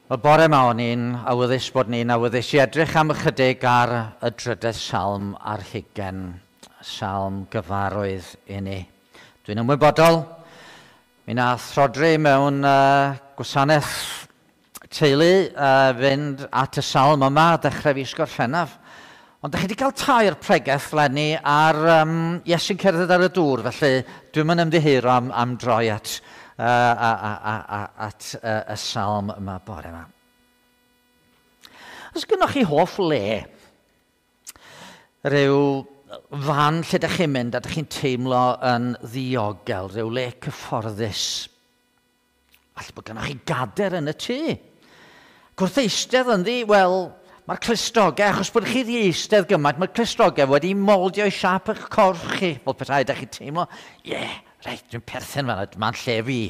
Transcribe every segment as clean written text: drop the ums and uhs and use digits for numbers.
Wel, bore yma o'n i'n awyddus bod ni'n awyddus i edrych am ychydig ar y drydedd salm ar hugen, salm gyfarwydd i ni. Dwi'n ymwybodol, mi nath Rhodri mewn gwasanaeth teulu fynd at y salm yma dechrau fis Gorffennaf. Ond ydych chi wedi cael tair pregeth lenni ar Iesu'n cerdded ar y dŵr, felly dwi'n mynd ymddiheuro am droi at at y salm yma bore yma. Os gynnwch chi hoff le, rhyw fan lle ydych chi'n mynd a ydych chi'n teimlo yn ddiogel, rhyw le cyfforddus. Falle bod gynnwch chi gader yn y tŷ. Gwrth eistedd ynddi, wel, mae'r clustogau, achos bod chi wedi eistedd gymaint, mae'r clustogau wedi moldio i siap eich corff chi, fel petai ydych chi'n teimlo, ie, yeah, reit, dwi'n perthyn fan'na, mae'n lle fi.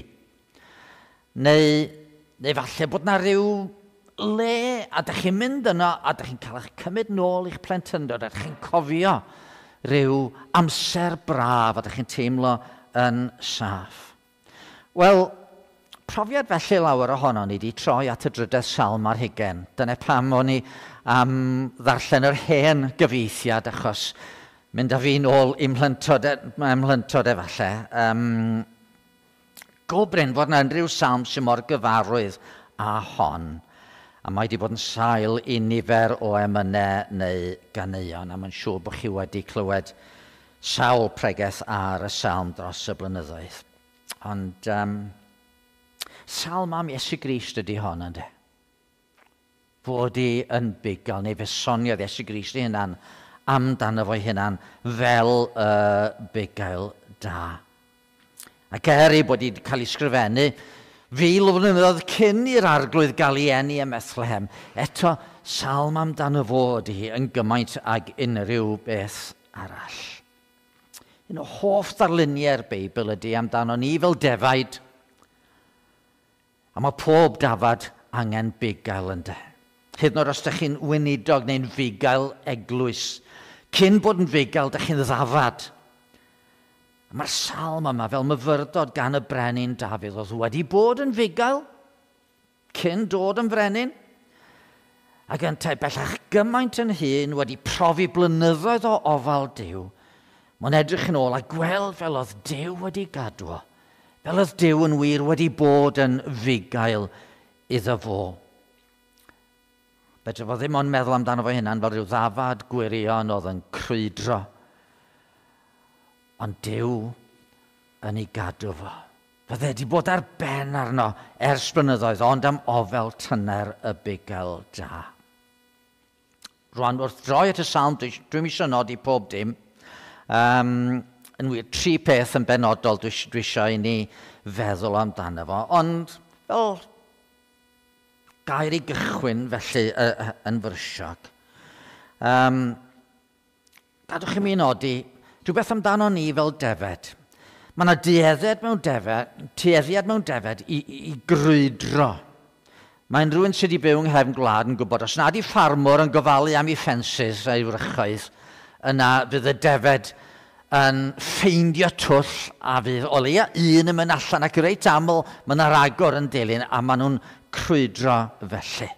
Neu falle bod na rhyw le, a dych chi'n mynd yno, a dych chi'n cael eich cymryd nôl i'ch plentyndod, a dych chi'n cofio rhyw amser braf, a dych chi'n teimlo yn saff. Wel, profiad felly lawer ohono ni wedi troi at y drydedd salm ar hugen. Dyna pam o'n i am ddarllen yr hen gyfieithiad, achos mynd â fi nôl i'm mhlentyndod efallai. Go brin fod yna unrhyw salm sy'n mor gyfarwydd â hon. A mae wedi bod yn sail i nifer o emynau neu ganeuon, a mae'n siŵr bod chi wedi clywed sawl pregeth ar y salm dros y blynyddoedd. Ond salm am Iesu Grist ydy hon, ynddo? Fod i yn bugail, neu fe soniodd Iesu Grist ei hunan amdano fo'i hunan fel y bugail da. Ac er ei bod wedi cael ei sgrifennu fil o flynyddoedd cyn i'r arglwydd gael ei eni ym Methlehem, eto salm amdano fo ydy hi yn gymaint ag unrhyw beth arall. Un o hoff ddarluniau'r Beibl ydy amdano ni fel defaid. A mae pob dafad angen bugail ynddo. Hyd yn oed os ydych chi'n weinidog neu'n fugail eglwys, cyn bod yn fugail, ydych chi'n ddafad. A mae'r salm yma fel myfyrdod gan y brenin Dafydd oedd wedi bod yn fugail cyn dod yn frenin. Ac yntau bellach gymaint yn hŷn wedi profi blynyddoedd o ofal Duw. Mae'n edrych yn ôl a gweld fel oedd Duw wedi gadw o, fel oedd Duw yn wir wedi bod yn fugail iddo fo. Fedra fo ddim ond meddwl amdano fo hunan fel rhyw ddafad gwirion oedd yn crwydro. Ond Duw yn ei gadw fo. Fydde wedi bod ar ben arno ers blynyddoedd, ond am ofel tyner y bugail da. Rwan, wrth droi at y salm, dwi'm eisiau nodi pob dim. Yn wir, tri peth yn benodol dwi eisiau i ni feddwl amdano fo. Ond fel gair i gychwyn felly yn fyrsiog. Gadwch i mi nodi rhywbeth amdano ni fel defed. Mae yna dueddiad mewn defed i grwydro. Mae'n rhywun sydd wedi byw yng nghefn gwlad yn gwybod, os nad i ffarmwr yn gofalu am ei ffensys a'i wrychoedd, yna fydd y defed yn ffeindio twll a fydd o leia un yn mynd allan, ac reit aml mae yna ragor yn dilyn a maen nhw'n crwydro felly.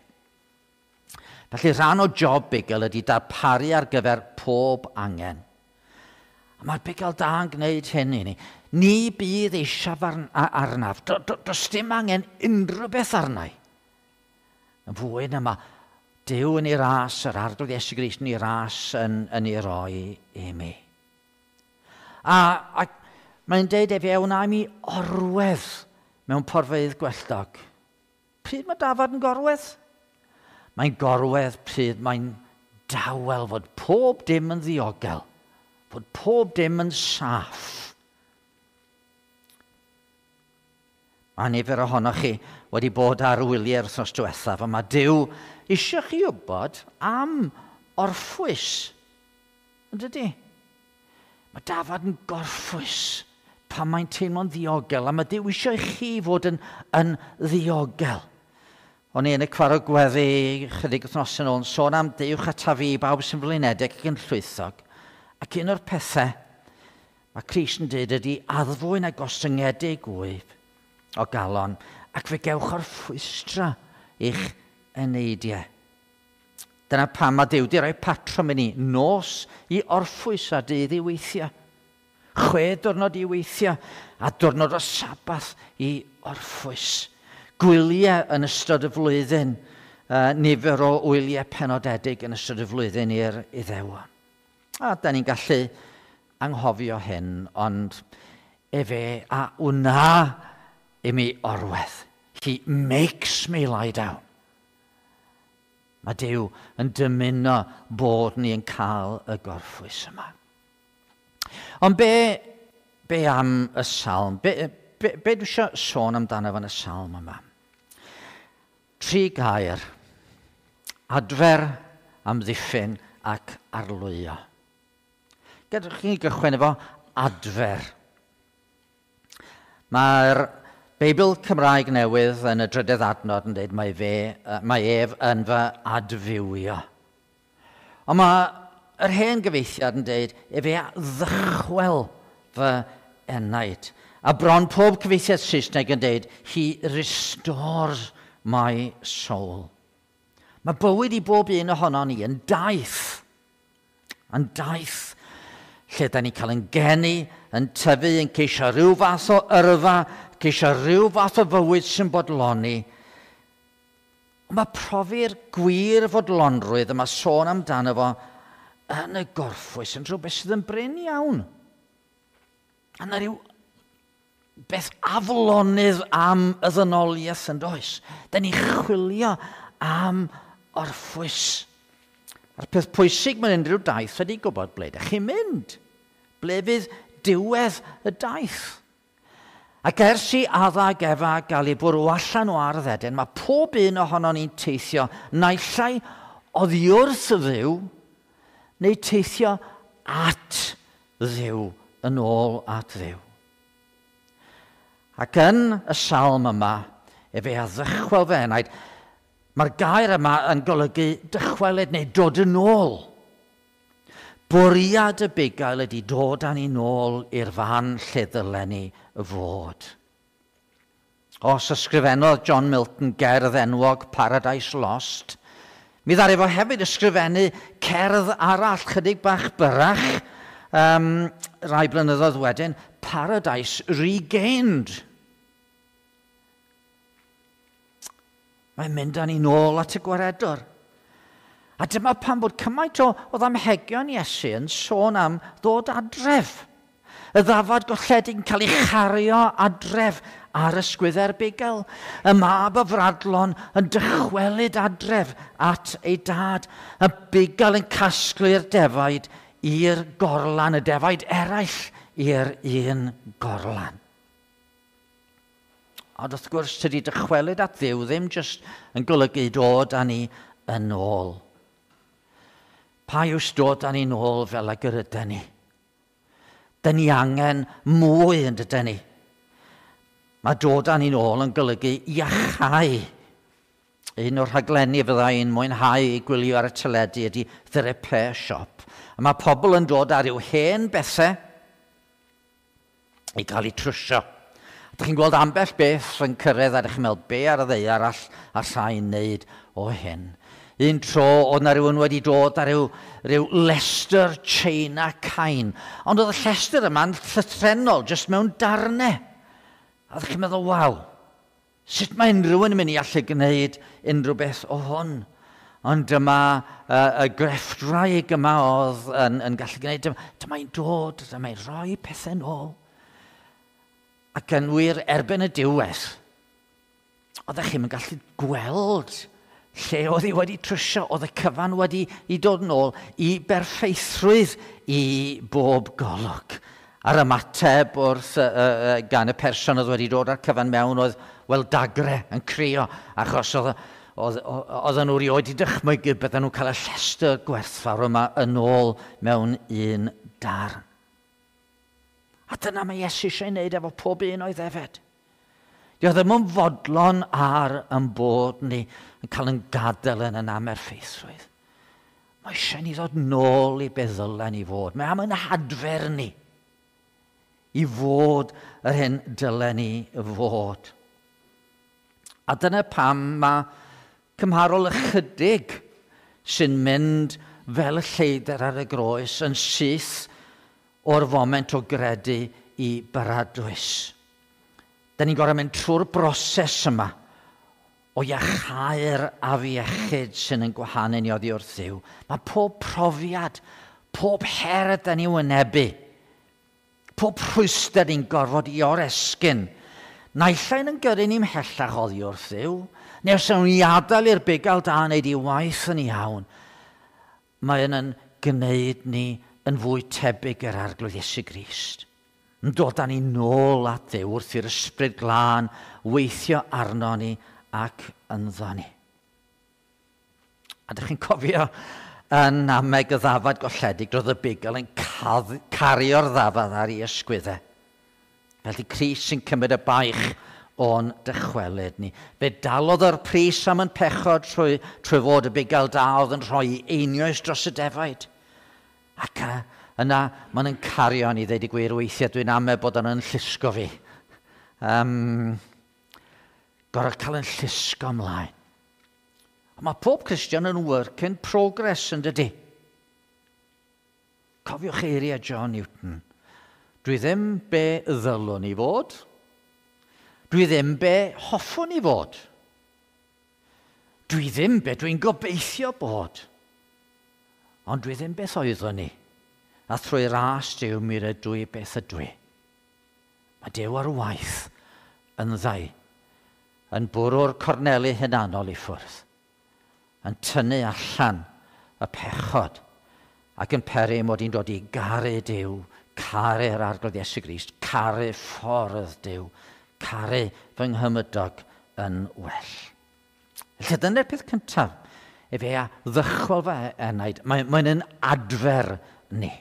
Felly rhan o job bugail ydy darparu ar gyfer pob angen. A mae'r bugail da yn gwneud hyn i ni. Ni bydd eisiau arnaf. Does dim angen unrhyw beth arnau. Yn fwy na mae Duw yn ei ras, yr Arglwydd Iesu Grist yn ei ras yn ei roi i mi. A mae'n deud efe, wna i mi orwedd mewn porfeydd gwelltog. Pryd mae dafad yn gorwedd? Mae'n gorwedd pryd mae'n dawel fod pob dim yn ddiogel, fod pob dim yn saff. Mae nifer ohonoch chi wedi bod ar wyliau'r wythnos diwethaf, a mae Duw eisiau chi wybod am orffwys. Yn dydy? Mae dafad yn gorffwys pan mae'n teimlo'n ddiogel, a mae Duw eisiau i chi fod yn ddiogel. O'n i yn y cwarog gweddi chydig wythnos yn ôl yn sôn am dewch ata fi, bawb sy'n flinedig ac yn llwythog. Ac un o'r pethau mae Crist yn dweud ydy addfwyn a gostyngedig wyf o galon, ac fe gewch orffwystra i'ch eneidiau. Dyna pam mae Duw 'di rhoi patrwm i ni, nos i orffwys a dydd i weithio. 6 diwrnod i weithio a diwrnod o Sabath i orffwys. Gwyliau yn ystod y flwyddyn, nifer o wyliau penodedig yn ystod y flwyddyn i'r Iddewon. A da ni'n gallu anghofio hyn, ond efe a wna i mi orwedd. He makes me lie down. Mae Duw yn dymuno bod ni yn cael y gorffwys yma. Ond be am y salm? Be dwi eisiau sôn amdano fan y salm yma? 3 gair. Adfer, amddiffyn ac arlwyo. Gadewch chi gychwyn efo adfer. Mae'r Beibl Cymraeg Newydd yn y drydedd adnod yn dweud mae ef yn fy adfywio. Ond mae yr hen gyfeithiad yn dweud efe a ddychwel fy enaid. A bron pob cyfeithiad Saesneg yn dweud he restores my soul. Mae bywyd i bob un ohono ni yn daith. Yn daith lle da ni'n cael yn geni, yn tyfu, yn ceisio rhyw fath o yrfa, ceisio rhyw fath o fywyd sy'n bodloni. Ond mae profi'r gwir fodlonrwydd yma sôn amdano fo yn y gorffwys yn rhywbeth sydd yn brin iawn. A yna rhyw beth aflonydd am y ddynoliaeth yn does. Da ni'n chwilio am orffwys. A'r peth pwysig mewn unrhyw daith ydy gwybod ble ydych chi'n mynd. Ble fydd diwedd y daith. Ac ers i Adda ac Efa gael ei bwrw allan o ardd Eden, mae pob un ohonon ni'n teithio naill ai oddi wrth Dduw neu teithio at Dduw, yn ôl at Dduw. Ac yn y salm yma, efe a ddychwel fy enaid, mae'r gair yma yn golygu dychwelyd neu dod yn ôl. Bwriad y bugail ydy dod â ni nôl i'r fan lle ddylen ni fod. Os ysgrifennodd John Milton gerdd enwog Paradise Lost, mi ddaru fo hefyd ysgrifennu cerdd arall chydig bach byrrach, rai blynyddoedd wedyn, Paradise Regained. Mae'n mynd â ni nôl at y gwaredwr. A dyma pam bod cymaint o ddamhegion Iesu yn sôn am ddod adref. Y ddafad golledig yn cael ei chario adref ar ysgwyddau'r bugail. Y mab y fradlon yn dychwelyd adref at ei dad. Y bugail yn casglu'r defaid i'r gorlan, y defaid eraill i'r un gorlan. Ond wrth gwrs, tydi dychwelyd at Dduw ddim jyst yn golygu dod â ni yn ôl. Pa yw dod â ni nôl fel ag yr ydyn ni? Dyn ni angen mwy yn dydyn ni. Mae dod â ni nôl yn golygu iachau. Un o'r rhaglenni fydda i'n mwynhau i gwylio ar y teledu ydy The Repair Shop. A mae pobl yn dod ar ryw hen bethau i gael eu trwsio. Dych chi'n gweld ambell beth yn cyrraedd a dych chi'n meddwl be ar y ddaear allai wneud o hyn. Un tro oedd na rhywun wedi dod ar ryw lestr China cain. Ond oedd y llestr yma'n llythrennol, jyst mewn darnau. A ddech chi'n meddwl, waw, sut mae unrhyw un yn mynd i allu gwneud unrhyw beth o hwn? Ond dyma y grefftwraig yma oedd yn gallu gwneud. Dyma'n dod, dyma'n rhoi pethau nôl. Ac yn wir erbyn y diwedd, oeddech chi'n gallu gweld lle oedd hi wedi trwsio, oedd y cyfan wedi i dod nôl i berffeithrwydd i bob golwg. A'r ymateb wrth gan y person oedd wedi dod â'r cyfan mewn oedd, wel, dagre yn crio, achos oedden nhw rioed i dychmygu bydden nhw'n cael y llestr gwerthfawr yma yn ôl mewn un darn. A dyna mae Iesu eisiau ei wneud efo pob un o'i ddefed. Dio ddim yn fodlon ar yn bod ni yn cael yn gadael yn yn amerffeithrwydd. Mae eisiau ni ddod nôl i be ddylen ni fod. Mae am yn hadfer ni i fod yr hyn dylen ni fod. A dyna pam mae Cymharol ychydig sy'n mynd fel y lleidr ar y groes yn syth o'r foment o gredu i baradwys. Da ni'n gorfod mynd trwy'r broses yma o iachau'r afiechyd sy'n yn gwahanu ni oddi wrth Dduw. Mae pob profiad, pob her da ni wynebu, pob rhwystr ni'n gorfod i oresgyn, naill ai'n yn gyrru ni mhellach oddi wrth Dduw, neu os yw'n ni adael i'r bugail da wneud ei waith yn iawn, mae yn yn gwneud ni yn fwy tebyg i'r Arglwydd Iesu Grist. Yn dod â ni nôl at Dduw wrth i'r Ysbryd Glân weithio arno ni ac ynddo ni. A ydych chi'n cofio yn nameg y ddafad golledig, roedd y bugail yn cario'r ddafad ar ei ysgwyddau. Felly Crist sy'n cymryd y baich o'n dychwelyd ni. Fe dalodd yr pris am yn pechod trwy fod y bugail da oedd yn rhoi einioes dros y defaid. Ac yna, mae'n yn cario ni, ddeud y gwir, weithiau dwi'n ame bod o'n yn llusgo fi. Gorfod cael yn llusgo ymlaen. A mae pob Cristion yn work in progress, yn dydy? Cofiwch eiriau John Newton. Dwi ddim be ddylwn i fod. Dwi ddim be hoffwn i fod. Dwi ddim be dwi'n gobeithio bod. Ond dwi ddim beth oeddwn i. A thrwy ras Duw mi rydw i beth ydw i. Mae Duw ar waith yn ddau, yn bwrw'r corneli hunanol i ffwrdd, yn tynnu allan y pechod ac yn peri mod i'n dod i garu Duw, caru'r Arglwydd Iesu Grist, caru ffordd Duw, caru fy nghymydog yn well. Felly dyna'r peth cyntaf, efe a ddychwel fy enaid, mae'n yn adfer ni.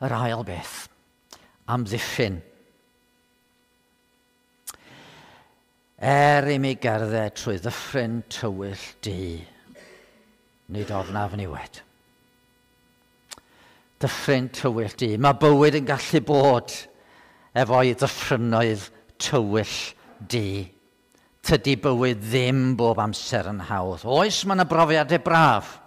Yr ail beth, amddiffyn. Er i mi gerdded trwy ddyffryn tywyll du, nid ofnaf niwed. Dyffryn tywyll du. Mae bywyd yn gallu bod efo'i ddyffrynoedd tywyll du. Tydi bywyd ddim bob amser yn hawdd. Oes, mae yna brofiadau braf.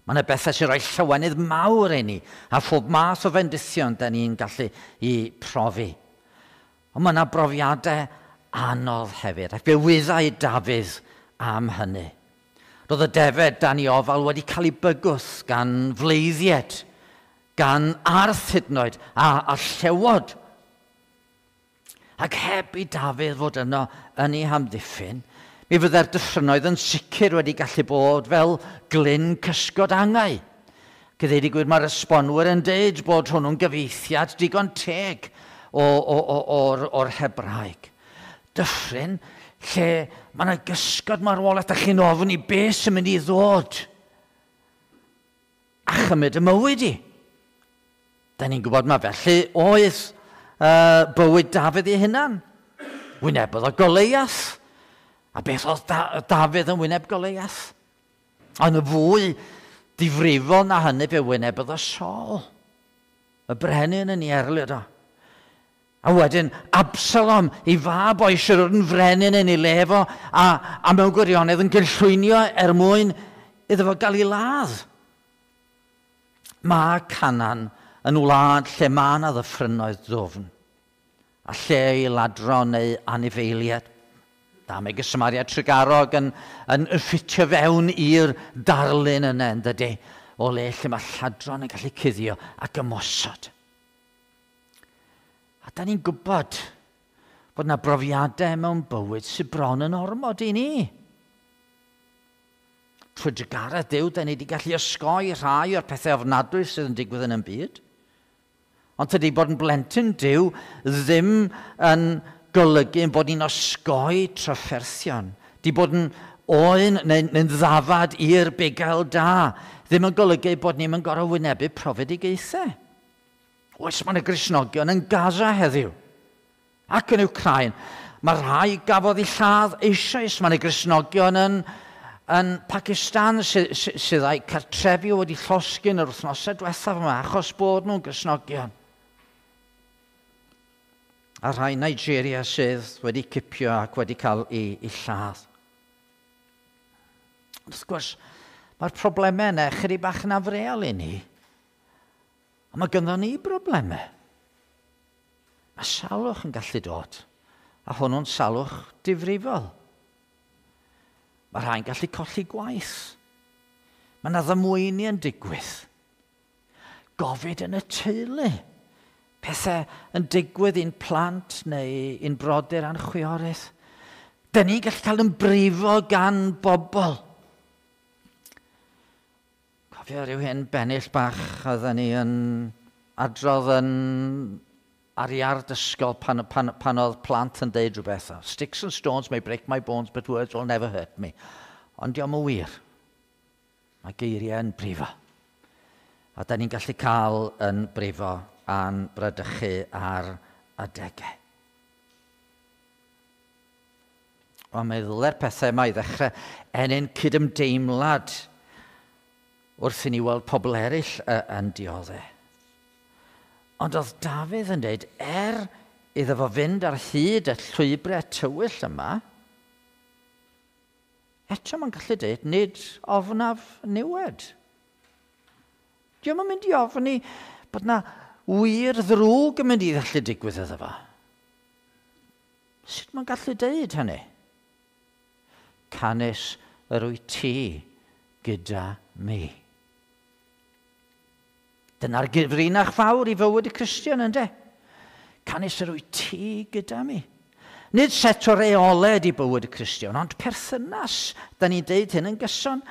Mae yna bethau sy'n rhoi llawenydd mawr i ni, a phob math o fendithion da ni'n gallu i profi. Ond mae yna brofiadau anodd hefyd, ac fe wyddai Dafydd am hynny. Roedd y defed dan ei ofal wedi cael ei bygwth gan fleiddied, gan arth hyd yn oed, a llewod. Ac heb i Dafydd fod yno yn ei hamddiffyn, mi fydde'r dyffrynoedd yn sicr wedi gallu bod fel glyn cysgod angau. Gyda gwir, mae'r esbonwyr yn deud bod hwnnw'n gyfieithiad digon teg o'r Hebraeg. Dyffryn lle mae yna gysgod marwolaeth a chi'n ofyn i beth sy'n mynd i ddod a chymryd y mywyd i. Da ni'n gwybod mae felly oedd bywyd Dafydd ei hunan. Wynebodd o Goleiath. A beth oedd Dafydd yn wyneb Goleiath? Ond y fwy difrifol na hynny fe wynebodd o Saul. Y brenin yn ei erlid o. A wedyn Absalom, ei fab o eisiau dod yn frenin yn ei le fo, a mewn gwirionedd yn gynllwynio er mwyn iddo fo gael ei ladd. Mae Canaan yn wlad lle mae yna ddyffrynoedd ddwfn, a lle i ladron neu anifeiliaid. Da, mae Samaria Trugarog yn ffitio fewn i'r darlun yna, yn dydy, o le lle mae lladron yn gallu cuddio ac ymosod. A da ni'n gwybod bod yna brofiadau mewn bywyd sydd bron yn ormod i ni. Trwy drugaredd Duw, da ni wedi gallu osgoi rhai o'r pethau ofnadwy sydd yn digwydd yn y byd. Ond tydi bod yn blentyn Duw ddim yn golygu yn bod ni'n osgoi trafferthion. Di bod yn oen neu'n ddafad i'r bugail da. Ddim yn golygu bod ni'n gorfod wynebu profedigaethau. Oes, mae yna Gristnogion yn Gaza heddiw ac yn Wcráin. Mae rhai gafodd eu lladd eisoes. Mae yna Gristnogion yn Pakistan sydd â'u cartrefi wedi llosgi yn yr wythnosau diwethaf yma achos bod nhw'n Gristnogion. A rhai Nigeria sydd wedi cipio ac wedi cael ei lladd. Wrth gwrs, mae'r problemau yna chydig bach yn afreal i ni. Ond mae gynddon ni broblemau. Mae salwch yn gallu dod, a hwnnw'n salwch difrifol. Mae rhai'n gallu colli gwaith. Mae yna ddamweini yn digwydd. Gofid yn y teulu. Pethau yn digwydd i'n plant neu i'n brodyr a'n chwiorydd. Dyn ni'n gallu cael yn brifo gan bobl. Cofio rhyw hen bennill bach oedden ni yn adrodd yn ar iard ysgol pan oedd plant yn deud rhywbeth. "Sticks and stones may break my bones, but words will never hurt me." Ond diolch yn wir. Mae geiriau yn brifo. A da ni'n gallu cael yn brifo a'n bradychu ar adegau. Ond mae ddylai'r pethau yma i ddechrau ennyn cydymdeimlad wrth i ni weld pobl eraill yn dioddef. Ond oedd Dafydd yn dweud, er iddo fo fynd ar hyd y llwybrau tywyll yma, eto mae'n gallu dweud, nid ofnaf niwed. Dio'm yn mynd i ofni bod na wir ddrwg yn mynd i ddallu digwydd iddo fo. Sut mae'n gallu deud hynny? Canys yr wyt ti gyda mi. Dyna'r gyfrinach fawr i fywyd y Cristion, ynddo? Canys yr wyt ti gyda mi. Nid set o reolau ydi bywyd y Cristion, ond perthynas. Da ni'n deud hyn yn gyson.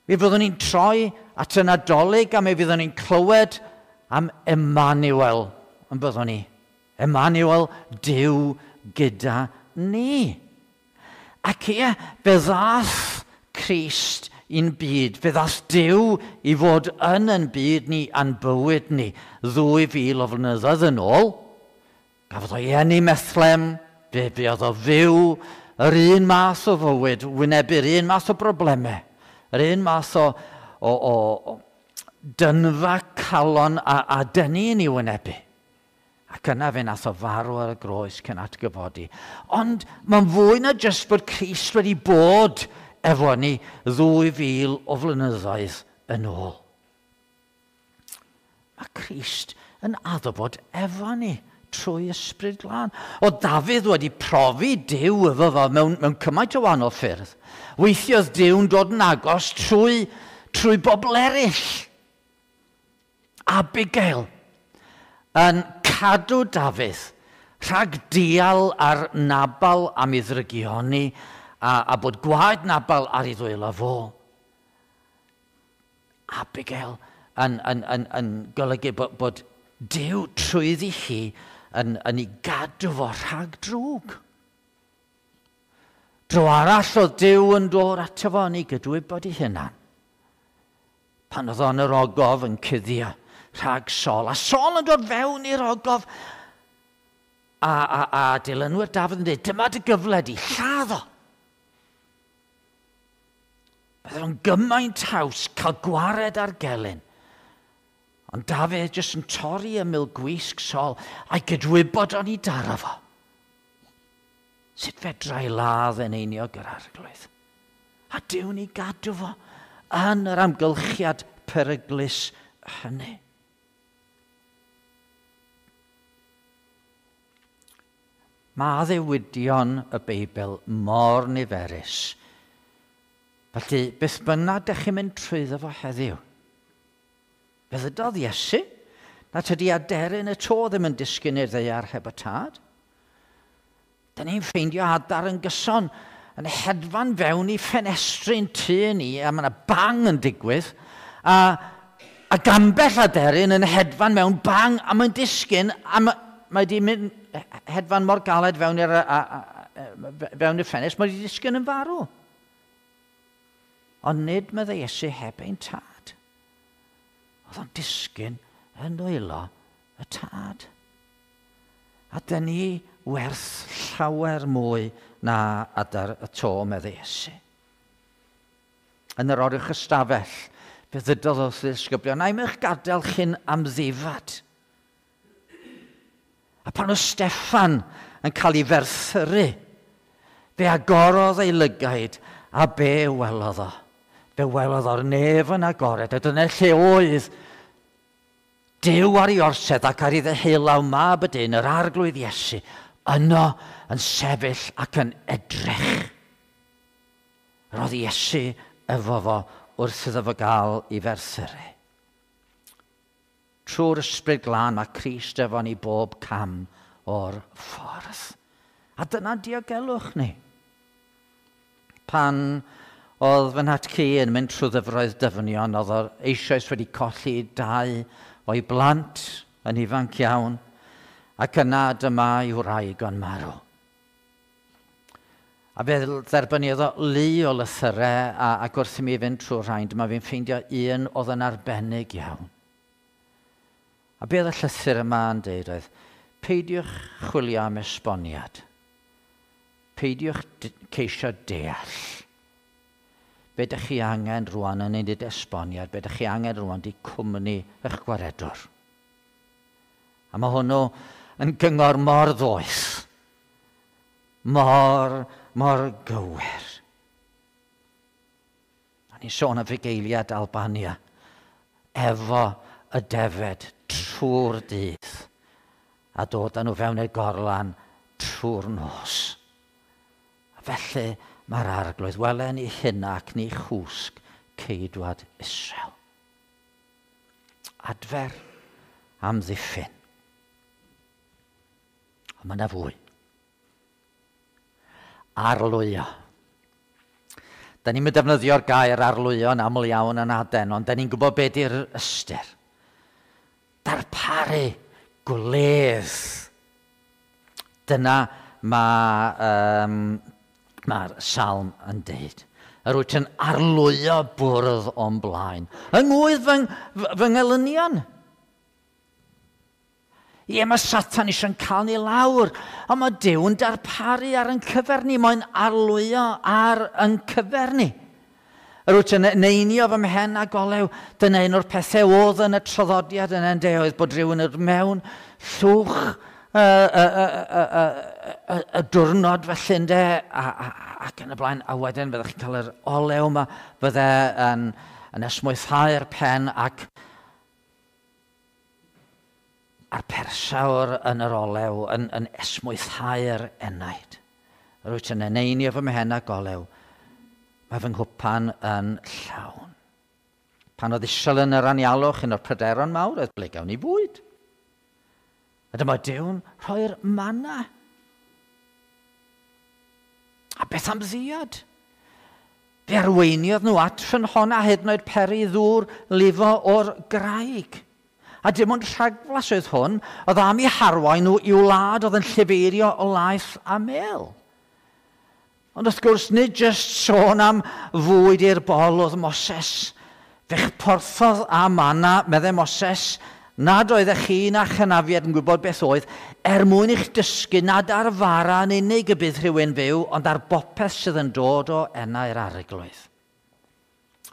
Mi fyddwn ni'n troi at y Nadolig a mi fyddwn ni'n clywed am Emmanuel, yn byddwn ni. Emmanuel, Duw gyda ni. Ac ie, fe ddath Crist i'n byd. Fe ddath Duw i fod yn yn byd ni a'n bywyd ni 2000 o flynyddoedd yn ôl. Gafodd o'i eni Methlem, fe fuodd o fyw yr un math o fywyd, wynebu'r un math o broblemau, yr un math o dynfa calon a dynnu yn ei wynebu. Ac yna fe nath o farw ar y groes cyn atgyfodi. Ond mae'n fwy na jyst bod Crist wedi bod efo ni 2000 o flynyddoedd yn ôl. Mae Crist yn addo bod efo ni trwy Ysbryd Glân. O Dafydd wedi profi Duw efo fo mewn cymaint o wahanol ffyrdd. Weithiodd Duw'n dod yn agos trwy bobl eraill. Abigail yn cadw Dafydd rhag dial ar Nabal am ei ddrygioni a bod gwaed Nabal ar ei ddwylo fo. Abigail yn golygu bod Duw trwyddi hi yn ei gadw fo rhag drwg. Dro arall oedd Duw yn dod ato fo yn ei gydwybod ei hunan. Pan oedd o'n yr ogof yn cuddio rhag Saul. A Saul yn dod fewn i'r ogof. A dilynwyr Dafydd yn dweud, dyma dy gyfle di, lladd o. Bydde fo'n gymaint haws cael gwared ar gelyn. Ond Dafydd jyst yn torri ymyl gwisg Saul a'i gydwybod o'n i daro fo. Sut fedra i ladd yn einiog yr arglwydd? A Duw'n ei gadw fo yn yr amgylchiad peryglus hynny. Mae addewidion y Beibl mor niferus. Felly, beth bynnag dych chi'n mynd trwyddo fo heddiw? Fe ddydodd Iesu na tydi aderyn y to ddim yn disgyn i'r ddaear heb y tad. Da ni'n ffeindio adar yn gyson yn hedfan fewn i ffenestri'n tŷ ni, a mae yna bang yn digwydd, a gambell aderyn yn hedfan mewn bang, a mae'n disgyn, a mae di mynd hedfan mor galed fewn i'r ffenest, mae di disgyn yn farw. Ond nid meddai Iesu heb ein tad. Oedd o'n disgyn yn nwylo y tad. A dyn ni werth llawer mwy na adar y to, meddai Iesu. Yn yr oruwch ystafell, fe ddydodd wrth ddisgyblion, na i'm eich gadael chi'n amddifad. A pan oedd Steffan yn cael ei ferthyru, fe agorodd ei lygaid a be welodd o. Fe welodd o'r nef yn agored, a dyna lle oedd Duw ar ei orsedd ac ar ei ddeheulaw mab y dyn, yr arglwydd Iesu, yno yn sefyll ac yn edrych. Roedd Iesu efo fo wrth iddo fo gael ei ferthyru. Trwy'r ysbryd glân mae Crist efo ni bob cam o'r ffordd. A dyna diogelwch ni. Pan oedd fy nhatcu yn mynd trwy ddyfroedd dyfnion, oedd o eisoes wedi colli dau o'i blant yn ifanc iawn, ac yna dyma ei wraig o'n marw. A fe dderbyniodd o lu o lythyrau, ac wrth i mi fynd trwy'r rhain, dyma fi'n ffeindio un oedd yn arbennig iawn. A be oedd y llythyr yma yn deud oedd, peidiwch chwilio am esboniad. Peidiwch ceisio deall. Be ydych chi angen rwan yn unig esboniad, be ydych chi angen rwan di cwmni eich gwaredwr. A mae hwnnw yn gyngor mor ddoeth, mor, mor gywir. A ni'n sôn am fugeiliad Albania, efo y defed trwy'r dydd, a dod â nhw fewn i'r gorlan trwy'r nos. A felly mae'r arglwydd, welen i hynna ac ni chwsg ceidwad Israel. Adfer amddiffyn. Ond mae yna fwy. Arlwyo. Da ni'n defnyddio'r gair arlwyo yn aml iawn yn aden, ond da ni'n gwybod beth yw'r ystyr. Darparu gwledd. Dyna mae mae'r salm yn deud. Yr wyt yn arlwyo bwrdd o'n blaen. Yng ngwydd fy, fy ngelynion. Ie, mae Satan eisiau'n cael ni lawr, ond mae Duw yn darparu ar yn cyfer ni, mae'n arlwyo ar yn cyfer ni. Yr wyt yn neinio fy mhen a golew, dyna un o'r pethau oedd yn y traddodiad yn ende oedd bod rhywun yn mewn llwch y, y, y, y, y, y diwrnod felly ynde, ac yn y blaen, a wedyn fyddech chi'n cael yr olew yma, fydde yn, yn esmwythau'r pen ac a'r persawr yn yr olew yn, yn esmwythau'r enaid. Yr wyt yn eneinio fy mhen a golew, mae fy nghwpan yn llawn. Pan oedd Israel yn yr anialwch, un o'r pryderon mawr oedd ble gawn ni fwyd. A dyma Duw'n rhoi'r manna. A beth am ddiod? Fe arweiniodd nhw at ffynhonna hyd yn oed peri ddŵr lifo o'r graig. A dim ond rhagflas oedd hwn, oedd am eu harwain nhw i'w wlad oedd yn llifeirio o laeth a mel. Ond wrth gwrs, nid jyst sôn am fwyd i'r bol oedd Moses. Fe'ch porthodd a manna, meddai Moses, nad oeddech chi na chynafiad yn gwybod beth oedd, er mwyn i'ch dysgu nad ar fara yn unig y bydd rhywun fyw, ond ar bopeth sydd yn dod o enau'r arglwydd.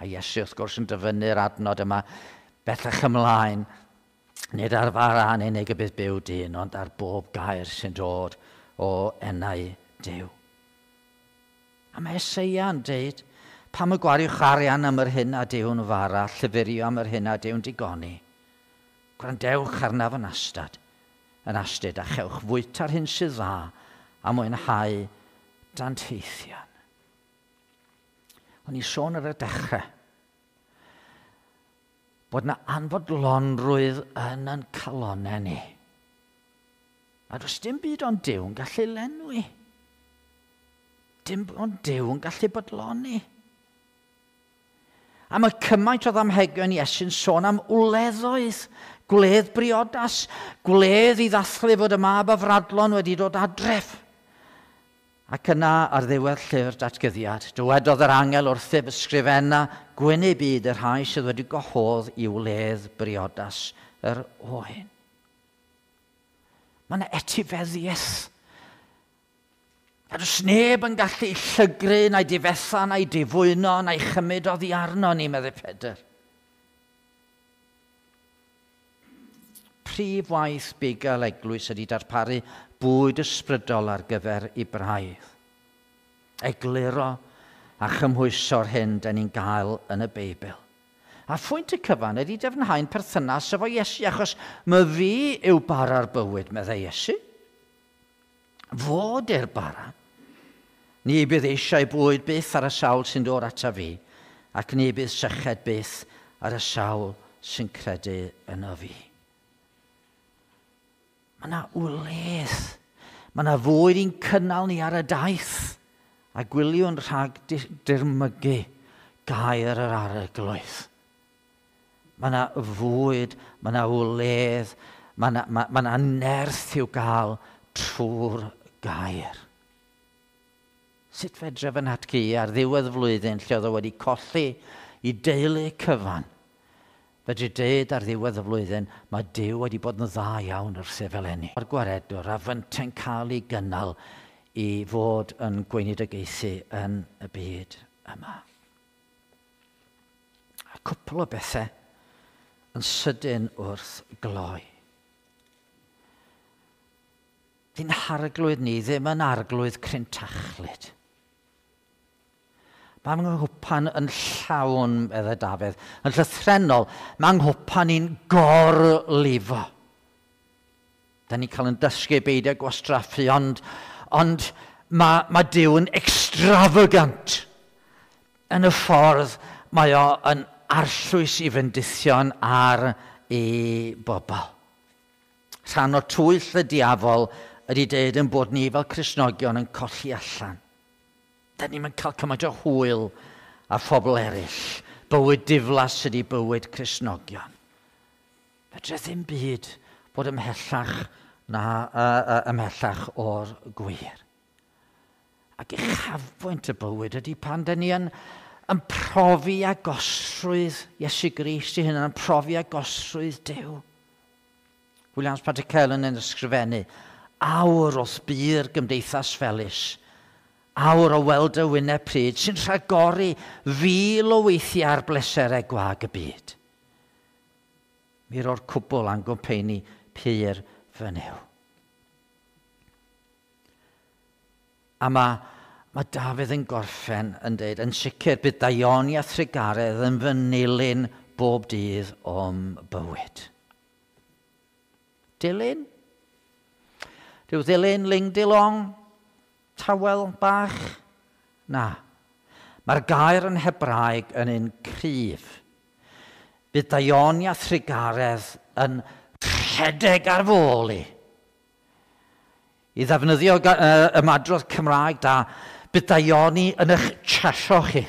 A Iesu, wrth gwrs, yn dyfynnu'r adnod yma bellach ymlaen, nid ar fara yn unig y bydd byw dyn, ond ar bob gair sy'n dod o enau Duw. A mae Eseia yn deud, pam y gwariwch arian am yr hyn a Duw'n fara, llyfurio am yr hyn a Duw'n digoni. Gwrandewch arnaf yn astad, yn astud, a chewch fwyta'r hyn sydd dda a mwynhau danteithion. O'n i sôn ar y dechrau bod yna anfodlonrwydd yn yn calonau ni. A does dim byd ond Duw yn gallu lenwi. Dim ond Duw yn gallu bodloni. A mae cymaint o ddamhegion Iesu'n sôn am wleddoedd, gwledd briodas, gwledd i ddathlu fod y mab afradlon wedi dod adref. Ac yna ar ddiwedd llyfr datgyddiad, dywedodd yr angel wrthyf ysgrifenna gwyn eu byd y rhai sydd wedi gwahodd i wledd briodas yr oen. Mae yna etifeddiaeth. A does neb yn gallu llygru na'i difetha na'i difwyno na'i chymryd oddi arno ni, meddai Pedr. Prif waith bugail eglwys ydy darparu bwyd ysbrydol ar gyfer ei braidd. Egluro, a chymhwyso'r hyn da ni'n gael yn y Beibl. A phwynt y cyfan ydy dyfnhau'n perthynas efo Iesu, achos my fi yw bara'r bywyd, meddai Iesu. Fod i'r bara. Ni bydd eisiau bwyd byth ar y sawl sy'n dod ata fi, ac ni bydd syched byth ar y sawl sy'n credu yno fi. Mae yna wledd. Mae yna fwyd i'n cynnal ni ar y daith. A gwyliwn rhag dirmygu gair yr arglwydd. Mae yna fwyd, mae yna wledd, mae yna, mae yna nerth i'w gael trwy'r gair. Sut fedra fy nhatgu ar ddiwedd flwyddyn lle oedd o wedi colli i deulu cyfan? Fedri dweud ar ddiwedd y flwyddyn, mae Duw wedi bod yn dda iawn wrth fel enni. Mae'r gwaredwr a fynte'n cael ei gynnal i fod yn gweinidogaethu yn y byd yma. A cwpl o bethau yn sydyn wrth gloi. Di'n harglwydd ni ddim yn arglwydd crintachlyd. Mae nghwpan yn llawn, meddai Dafydd, yn llythrennol, mae nghwpan i'n gorlifo. Da ni'n cael yn dysgu beidio gwastraffu, ond, ond mae, mae Duw yn extravagant yn y ffordd mae o yn arllwys i fendithion ar ei bobl. Rhan o twyll y diafol ydy deud yn bod ni fel Cristnogion yn colli allan. Da ni'n cael cymaint o hwyl a phobl eraill. Bywyd diflas ydy bywyd Cristnogion. Fedre ddim byd bod ymhellach, na, ymhellach o'r gwir. Ac uchafbwynt y bywyd ydy pan da ni yn, yn profi agosrwydd Iesu Grist i hynny, yn profi agosrwydd Duw. Williams Pantycelyn yn ysgrifennu, awr wrth bu'r gymdeithas felus, awr o weld y wyneb pryd sy'n rhagori fil o weithiau ar bleserau gwag y byd. Mi ro'r cwbl a'n gwmpeini pur fy Nuw. A mae, mae Dafydd yn gorffen yn dweud, yn sicr bydd daioni a thrugaredd yn fy nilyn bob dydd o'm bywyd. Dilyn? Rhyw ddilyn, ling dilong, tawel bach? Na. Mae'r gair yn Hebraeg yn un cryf. Bydd daioni a thrugaredd yn rhedeg ar fôl i. I ddefnyddio ymadrodd Cymraeg da, bydd daioni yn eich chasio chi.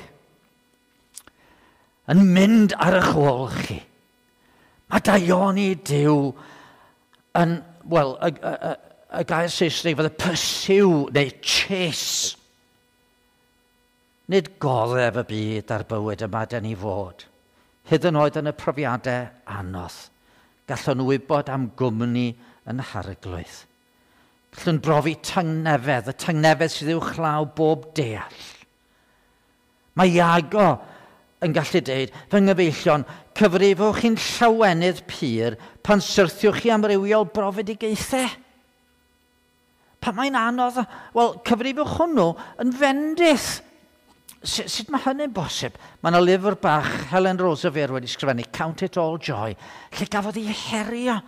Yn mynd ar eich ôl chi. Mae daioni Duw yn, wel, y, y, y, y gair Saesneg fydde pursue neu chase. Nid goddef y byd a'r bywyd yma dyn ni fod. Hyd yn oed yn y profiadau anodd. Gallwn wybod am gwmni yn harglwydd. Gallwn brofi tangnefedd, y tangnefedd sydd uwchlaw bob deall. Mae Iago yn gallu dweud, fy nghyfeillion, cyfrifwch chi'n llawenydd pur pan syrthiwch chi amrywiol brofedigaethau. Pan mae'n anodd, wel, cyfrifwch hwnnw yn fendith. Sut mae hynny'n bosib? Mae yna lyfr bach Helen Roseveare wedi sgrifennu, Count It All Joy, lle gafodd ei herio.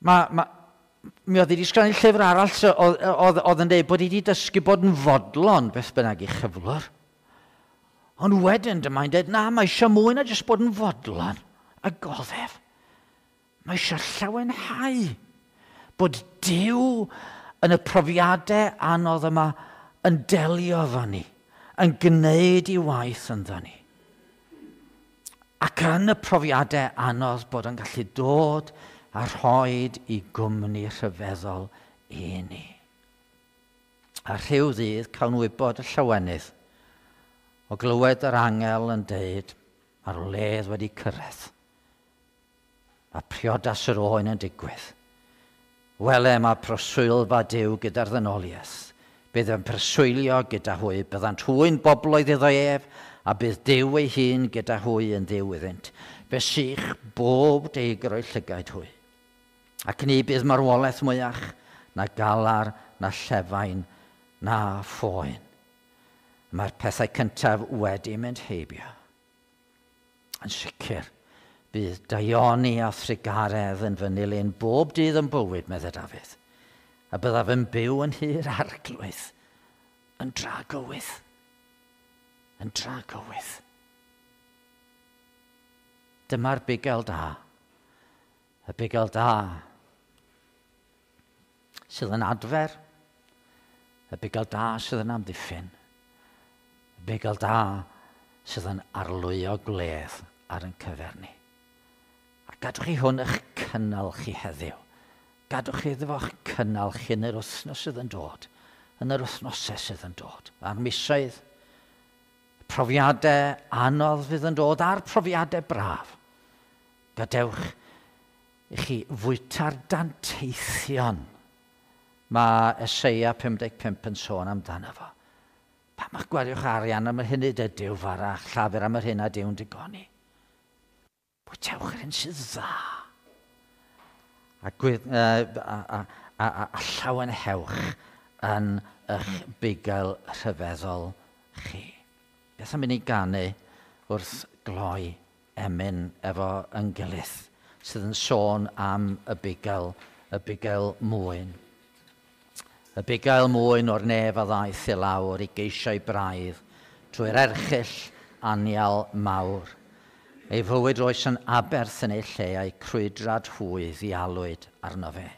Mae, mae, mi oedd wedi sgrifennu llyfr arall oedd, oedd, oedd yn dweud bod hi wedi dysgu bod yn fodlon beth bynnag i chyflwr. Ond wedyn dyma'n dweud, na, mae eisiau mwy na jyst bod yn fodlon a goddef. Mae eisiau llawenhau bod Duw yn y profiadau anodd yma yn delio efo ni, yn gwneud i waith ynddo ni. Ac yn y profiadau anodd bod yn gallu dod a rhoi i gwmni rhyfeddol i ni. A rhyw ddydd cawn wybod y llawenydd o glywed yr angel yn deud mae'r wledd wedi cyrraedd. Mae priodas yr oen yn digwydd. Wele mae proswylfa Duw gyda'r ddynoliaeth. Bydd yn preswylio gyda hwy, byddant hwy'n bobloedd iddo ef, a bydd Duw ei hun gyda hwy yn ddiw iddynt. Fe sych bob deigr o'i llygaid hwy. Ac ni bydd marwolaeth mwyach, na galar, na llefain, na phoen. Mae'r pethau cyntaf wedi mynd heibio. Yn sicr, bydd daioni a thrugaredd yn fy nilyn bob dydd yn bywyd, meddai Dafydd. A byddaf yn byw yn nhŷ'r Arglwydd, yn dragywydd. Yn dragywydd. Dyma'r bugail da. Y bugail da sydd yn adfer, y bugail da sydd yn amddiffyn, y bugail da sydd yn arlwyo gwledd ar ein cyfer ni. A gadwch chi hwn eich cynnal chi heddiw. Gadwch chi iddo fo'ch cynnal chi yn yr wythnos sydd yn dod, yn yr wythnosau sydd yn dod, a'r misoedd, profiadau anodd fydd yn dod, a'r profiadau braf. Gadewch i chi fwyta'r danteithion mae Eseia 55 yn sôn amdano fo. Pam eich gwariwch arian am yr hyn nid ydyw fara, a'ch llafur am yr hyn nad yw'n digoni? Bwytewch yr hyn sydd dda. A, gwydd, a, a, a, a, a llawenhewch yn eich bugail rhyfeddol chi. Beth am i ni ganu wrth gloi emyn efo yn gilydd sydd yn sôn am y bugail, y bugail mwyn. Y bugail mwyn o'r nef a ddaeth i lawr i geisio'i braidd trwy'r erchyll anial mawr. Ei fywyd roes yn aberth yn ei lle a'i crwydrad hwy ddialwyd arno fe.